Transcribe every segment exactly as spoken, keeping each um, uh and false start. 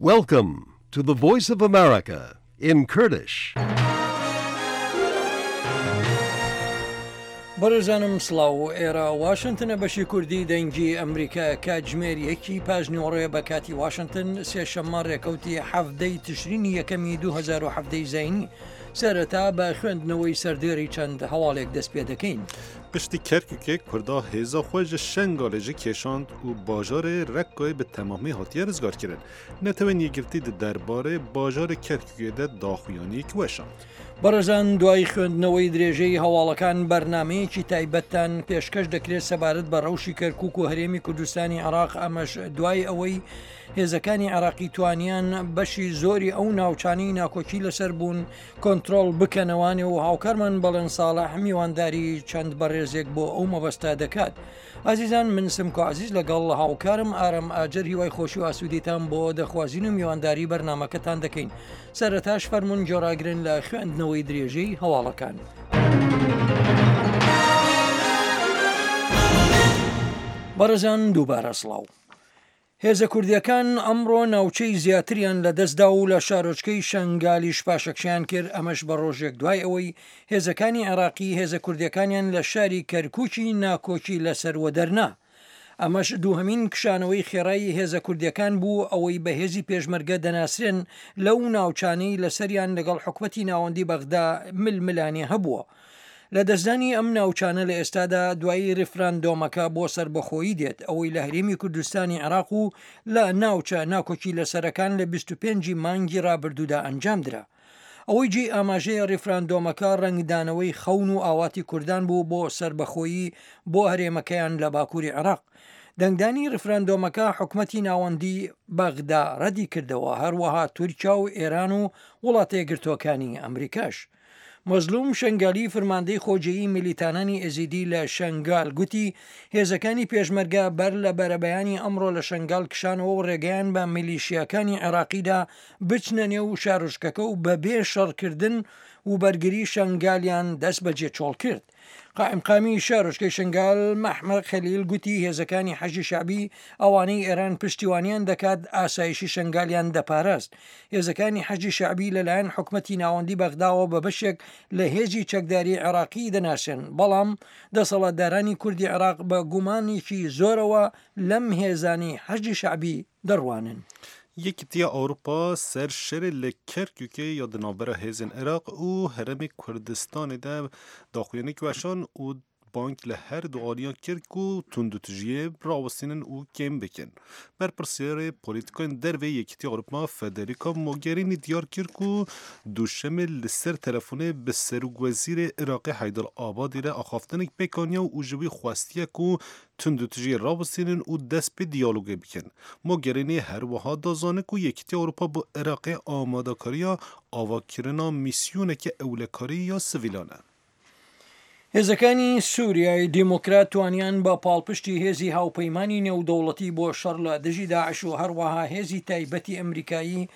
Welcome to the Voice of America in Kurdish. بەڕێزانم سڵاو، ئێرە واشنتنە، بەشی کوردی دەنگی ئەمریکا. کاتژمێر یەکی پاش نیوەڕۆیە بە کاتی واشنتن، سێشەممە ڕێکەوتی حەفدەی تشرینی یەکەمی دوو هەزار و حەفدەی زایینی. سەرەتا بە خوێندنەوەی سەردێری چەند هەواڵێک دەست پێ دەکەین. Piştî Kerkûkê Kurda hêza xwe ji Şengalê jî kêşand û bajarê Rekkayê bi temamî hatiye rizgarkirin. Netewên Yekgirtî di derbarê bajarê Kerkûkê de daxuyaniyek weşand. بەڕێزان، دوای خوێندنەوەی درێژەی هەواڵەکان بەرنمەیەکی تایبەتتان پێشکەش دەکرێت سەبارەت بە ڕەوشی کەرکک و هەرێمی کوردستانی عێراق، ئەمەش دوای ئەوەی هێزەکانی عێراقی توانیان بەشی زۆری ئەو ناوچانەی ناکۆکی لەسەر بوون کۆنترۆڵ بکەنەوانێ و هاوکارمان بەڵێن ساڵح میوانداری چەند بەڕێزێک بۆ ئەو مەبەستە دەکات. ئازیزان، من سمکۆ عزیز لەگەڵ هاوکارم ئارام ئاجەر هیوای خۆشی و ئاسوودیتان بۆ دەخوازین و میوانداری بەرنمەکەتان دەکەین. سەرەتاش فەرمونون گوێڕاگرن لە خوێندنەوەی درێژەی هەواڵەکان. بەڕێزان، دووبارە سڵاو. هێزە کوردیەکان ئەمڕۆ ناوچەی زیاتریان لە دەستدا و لە شارۆچکەی شنگالیش پاشەکشیان کرد، ئەمەش بە ڕۆژێک دوای ئەوەی هێزەکانی عێراقی هێزە کوردیەکانیان لە شاری کەرکوکی ناکۆکی لەسەر وەدەرنا. ئەمەش دووهەمین کشانەوەی خێرایی هێزە کوردیەکان بوو ئەوەی بە هێزی پێشمەرگە دەناسرێن لەو ناوچانەی لەسەریان لەگەڵ حکومەتی ناوەندی بەغدا ململانێ هەبووە. لە دەستدانی ئەم ناوچانە لە ئێستادا دوایی ریفراندۆمەکە بۆ سەربەخۆیی دێت ئەوەی لە هەرێمی کوردستانی عێراق و لە ناوچە ناکۆکی لەسەرەکان لە بیست و پێنج مانگی ڕابردوودا ئەنجام درا. ئەوەی جێی ئاماژەیە، ریفراندۆمەکە ڕەنگدانەوەی خەون و ئاواتی کوردان بوو بۆ سەربەخۆیی بۆ هەرێمەکەیان لە باکووری عێراق. دەنگدانی ریفراندۆمەکە حکومەتی ناوەندی بەغدا ڕەدی کردەوە، هەروەها تورکیا و ئێران و وڵاتە یەکگرتووەکانی ئەمریکاش. مەزلوم شنگالی، فەرماندەی خۆجێی میلیتانانی ئێزیدی لە شنگال، گوتی هێزەکانی پێشمەرگە بەر لە بەرەبەیانی ئەمڕۆ لە شنگال کشانەوە و ڕێگەیان بە میلیشیاکانی عێراقیدا بچنە نێو شارۆچکەکە و بەبێ شەڕکردن و بەرگری شنگالیان دەست بەجێ چۆڵ کرد. قائیمقامی شارۆچکەی شنگال مەحمەد خەلیل گوتی هێزەکانی حەشدی شەعبی ئەوانەی ئێران پشتیوانیان دەکات ئاسایشی شنگالیان دەپاراست. هێزەکانی حەشدی شەعبی لەلایەن حکومەتی ناوەندی بەغداوە بە بەشێک لە هێزی چەکداری عێراقی دەناسێن، بەڵام دەسەڵاتدارانی کوردی عێراق بە گومانێکی زۆرەوە لەم هێزانی حەشدی شەعبی دەڕوانن. Yekîtiya Ewropa ser şerê li Kerkûkê ya di navbera hêzên Iraq û Herêmê Kurdistanê de daxuyaniyek weşand û bang li her du aliyan kir ku tundûtûjiyê rawestînin û kêm bikin. Berpirsiyarê polîtîkayên derve Yekîtiya Ewropa Federica Mogherini diyar kir ku duşemê li ser telefonê bi Serokwezîrê Iraqê Heyder Abadî re axaftinek pêk aniye û ji wî xwestiye ku tundûtûjiyê rawestînin û dest pê diyalogê bikin. Mogherini her wiha da zanîn ku Yekîtiya Ewropa bo Iraqê amadekariya avakirina mîsyoneke ewlekarî ya sivîlan e. هێزەکانی سووریای دیموکرات توانیان بە پاڵپشتی هێزی هاوپەیمانی نێودەوڵەتی بۆ شەڕ لە دژی داعش و هەروەها هێزی تایبەتی ئەمریکایی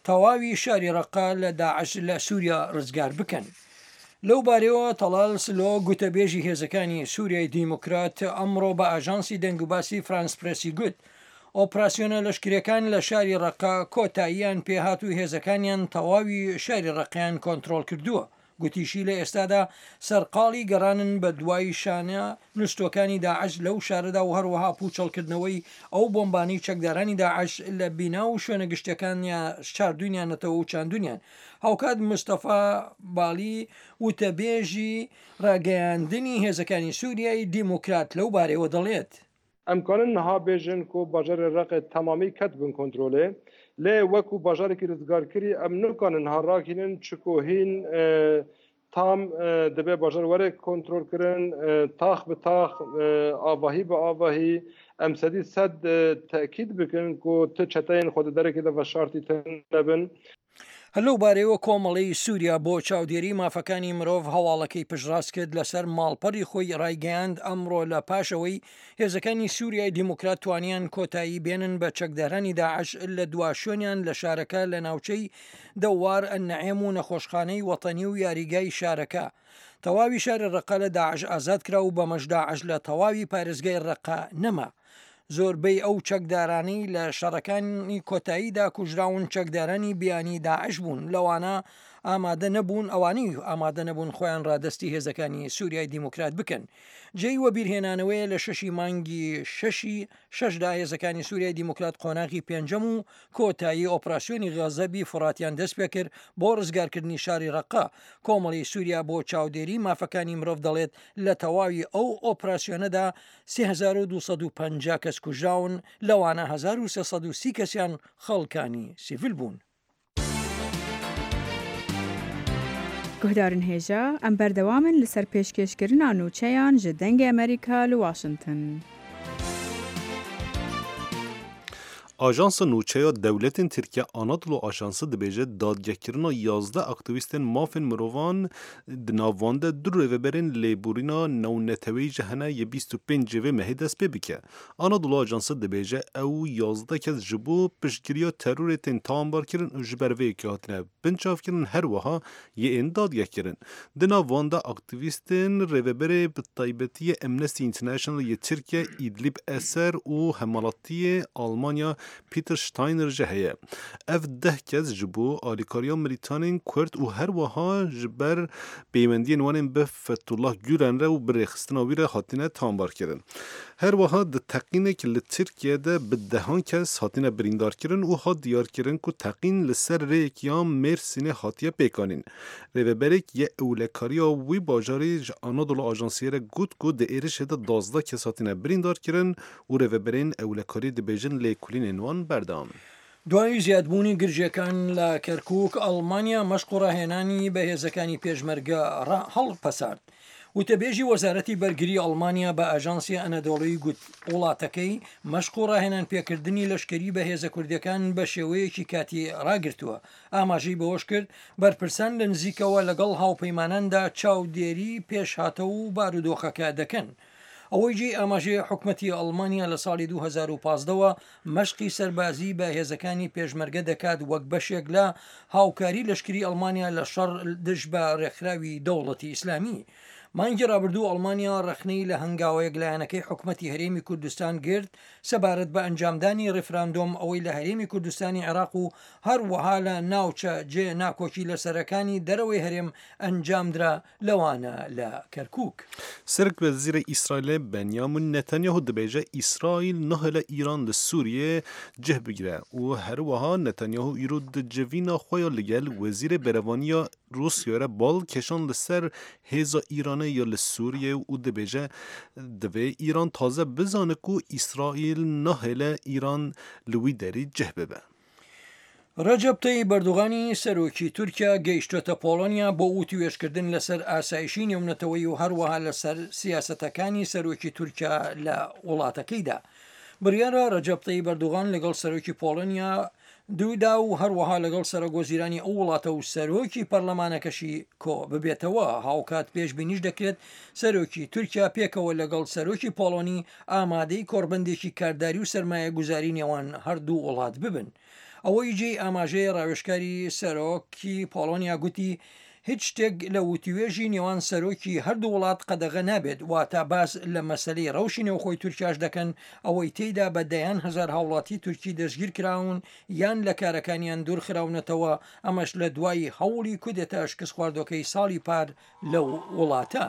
تەواوی شاری ڕەقا لە داعش لە سووریا ڕزگار بکەن. لەو بارەوە تەڵال سلۆ، گوتەبێژی هێزەکانی سووریای دیموکرات، ئەمڕۆ بە ئاژانسی دەنگوباسی فرانس پرسی گوت ئۆپراسیۆنە لەشکریەکان لە شاری ڕەقا کۆتاییان پێهات و هێزەکانیان تەواوی شاری ڕەقیان کۆنترۆڵ کردووە. گوتیشی لە ئێستادا سەرقاڵی گەڕانن بە دوای شانە نوستوەکانی داعش لەو شارەدا و هەروەها پوچەڵکردنەوەی ئەو بۆمبانی چەکدارانی داعش لە بینا و شوێنە گشتەکانیان شاردونیانەتەوە و چاندونیان. هاوکات مستەفا بالی، وتەبێژی ڕاگەیاندنی هێزەکانی سووریای دیموکرات، لەو بارەوە دەڵێت: Em karin niha bêjin ku bajarê Reqê temamî ket bin kontrolê, lê wekû bajarekî rizgarkirî em nikarin niha ragihînin, çiku hîn tam dibe bajar were kontrolkirin, tax bi tax, avahî bi avahî, em sedî sed tekîd bikin ku ti çeteyên xwe di derekê de veşartî nebin. هەر لەو بارەیەوە کۆمەڵەی سووریا بۆ چاودێری مافەکانی مرۆڤ هەواڵەکەی پشتڕاست کرد، لەسەر ماڵپەڕی خۆی ڕایگەیاند ئەمڕۆ لە پاشەوەی هێزەکانی سووریای دیموکرات توانیان کۆتایی بێنن بە چەکدارانی داعش لە دوا شوێنیان لە شارەکە لە ناوچەی دەوار ئەنعێم و نەخۆشخانەی وەتەنی و یاریگای شارەکە، تەواوی شاری ڕەقە لە داعش ئازاد کرا و بەمەش داعش لە تەواوی پارێزگای ڕەقە نەما. زۆربەی ئەو چەکدارانەی لە شەڕەکانی کۆتاییدا کوژراون چەکدارانی بیانی داعش بوون، لەوانە ئامادە نەبوون ئەوانەی ئامادە نەبوون خۆیان ڕادەستی هێزەکانی سوریای دیموکرات بکەن. جێی وەبیرهێنانەوەیە لە شەشی مانگی شەشی شەشدا هێزەکانی سوریای دیموکرات قۆناغی پێنجەم و کۆتایی ئۆپراسیۆنی غەزەبی فڕاتیان دەست پێکرد بۆ ڕزگارکردنی شاری ڕەقە. کۆمەڵی سووریا بۆ چاودێری مافەکانی مرۆڤ دەڵێت لە تەواوی ئەو ئۆپراسیۆنەدا سێ هەزار و دوو سەد و پەنجا کەس کوژراون، لەوانە هەزار و سێ سەد و سی کەسیان خەڵکانی سیڤیل بوون. گوهدارن هێژا، ئەم بەردەوامن لەسەر پێشکێشکردنا نوچەیان ji دەنگê Amerîka li Washington. Ajansa nûçeya dewletên Tirkiye Anadolu Ajansı dibêje dadgehkirina yazdeh aktîvîstên mafên mirovan di nav wan de du rêveberên lêborîna navneteweyî ji hene yê bîst û pênc vê mehê dest pê bike. Anadolu Ajansı dibêje ew yazdeh kes ji bo piştgiriya terorê tên tawanbarkirin û ji ber vê yekê hatine binçavkirin her wiha yê ên dadgehkirin. Di nav wan de aktîvîstên rêveberê bi taybetî Amnesty International yê Tirkiye Îdlib Eser û hemwelatiyê Almanya Peter Steiner ji heye. Ev deh kes ji bo alîkariya milîtanên Kurd û her wiha ji ber peywendiyên wan ên bi Fethullah Gülen re û bi rêxistina wî re hatine tawanbarkirin. Her wiha di teqînek li Tirkiye de bi dehan kes hatine birîndarkirin û hat diyarkirin ku teqîn li ser rêyek ya Mêrsînê hatiye pêkanîn. Rêveberek yê ewlekariya wî bajarî ji Anadolu Ajansiyê re got ku di êrişê de duwazdeh kes hatine birîndarkirin û rêveberên ewlekarî dibêjin lêkolînên wan berdewam. دوای زیادبوونی گرژیەکان لە کەرکووک، ئەڵمانیا مەشق و ڕاهێنانی بە هێزەکانی پێشمەرگە هەڵپەسارد. وتەبێژی وەزارەتی بەرگری ئەڵمانیا بە ئاژانسی ئەنەدۆڵی گوت وڵاتەکەی مەشق و ڕاهێنان پێکردنی لەشکری بە هێزە کوردیەکان بە شێوەیەکی کاتی ڕاگرتووە. ئاماژەی بەوەش کرد بەرپرسان لە نزیکەوە لەگەڵ هاوپەیماناندا چاودێری پێشهاتە و بارودۆخەکە دەکەن. ئەوەی جێی ئاماژەیە حکومەتی ئەڵمانیا لە ساڵی دوو هەزار و پازدەوە مەشقی سەربازی بە هێزەکانی پێشمەرگە دەکات وەک بەشێک لە هاوکاری لەشکری ئەڵمانیا لە شەڕ دژ بە ڕێکخراوی دەوڵەتی ئیسلامی. مانگی ڕابردوو ئەڵمانیا ڕەخنەی لە هەنگاوە یەکلایەنەکەی حکومەتی هەرێمی کوردستان گرت سەبارەت بە ئەنجامدانی ڕیفراندۆم ئەوەی لە هەرێمی کوردستانی عێراق و هەروەها لە ناوچە جێ ناکۆکی لەسەرەکانی دەرەوەی هەرێم ئەنجامدرا لەوانە لە کەرکوک. سەرۆک وەزیرê İsraîlê Benyamin Netanyahu dibêje İsraîl nahêle Îran li Sûriyê cih bigire û her wiha Netanyahu îro di civîna xwe ya li gel wezîrê berevaniya Rûsyayê re bal kêşan li ser hêza Îranê ya li Sûriyê û dibêje divê Îran taze bizane ku İsraîl nahêle Îran li wî derî cih bibe. ڕەجەب تەیب ئەردۆغانی سەرۆکی تورکیا گەیشتۆتە پۆڵۆنیا بۆ وتوێژکردن لەسەر ئاسایشی نێونەتەوەی و هەروەها لەسەر سیاسەتەکانی سەرۆکی تورکیا لە وڵاتەکەیدا. بڕیارە ڕەجەب تەیب ئەردۆغان لەگەڵ سەرۆکی پۆڵۆنیا دوودا و هەروەها لەگەڵ سەرۆک وەزیرانی ئەو وڵاتە و سەرۆکی پەرلەمانەکەشی کۆ ببێتەوە. هاوکات پێشبینیش دەکرێت سەرۆکی تورکیا پێکەوە لەگەڵ سەرۆکی پۆڵۆنی ئامادەی کۆڕبەندێکی کارداری و سەرمایەگوزاری نێوان هەردوو وڵات ببن. ئەوەی جێی ئاماژەیە ڕاوێژکاری سەرۆکی پۆڵۆنیا گوتی هیچ شتێک لە وتوێژی نێوان سەرۆکی هەردوو وڵات قەدەغە نابێت، واتە باس لە مەسلەی ڕەوشی نێوخۆی تورکیاش دەکەن ئەوەی تێیدا بە دەیان هەزار هاوڵاتی تورکی دەستگیر کراون یان لە کارەکانیان دوورخراونەتەوە، ئەمەش لە دوای هەوڵی کودێتا شکست خواردۆکەی ساڵی پار لەو وڵاتە.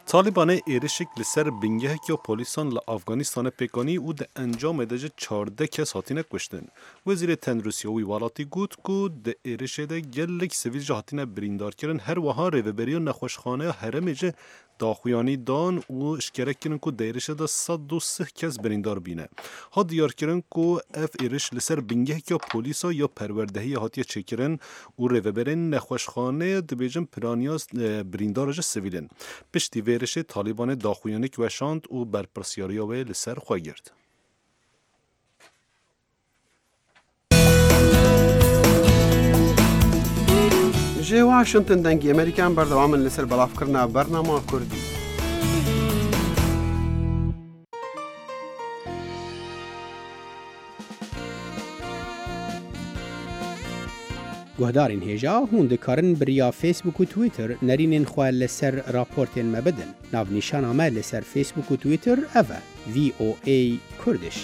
Talibanê êrişek li ser bingeheke polîsan li Afganistanê pêkanî û di encamê de ji çardeh kes hatine kuştin. Wezîrê Tenduristiya wî welatî got ku di êrişê de gelek sivîl jî hatine birîndarkirin, her wiha rêveberiya nexweşxaneya herêmê jî daxuyanî dan û eşkere kirin ku di êrişê de sed û sih kes birîndar bîne. Hat diyarkirin ku ev êriş li ser bingeheke polîsa ya perwerdehiyê hatiye çêkirin û rêveberên nexweşxaneyê dibêjin piraniya birîndar ji sivîl in. Piştî vê êrişê Talibanê daxuyanîk weşand û berpirsyariya wê li ser xwe girt. Ji Washington dengê Amerîkan berdewam in li ser belavkirina bernama Kurdî. Guhdarên hêja hûn dikarin bi riya Facebook û Twitter nerînên xwe li ser raportên me bidin. Navnîşana me li ser Facebook û Twitter ev e: V O A Kurdish.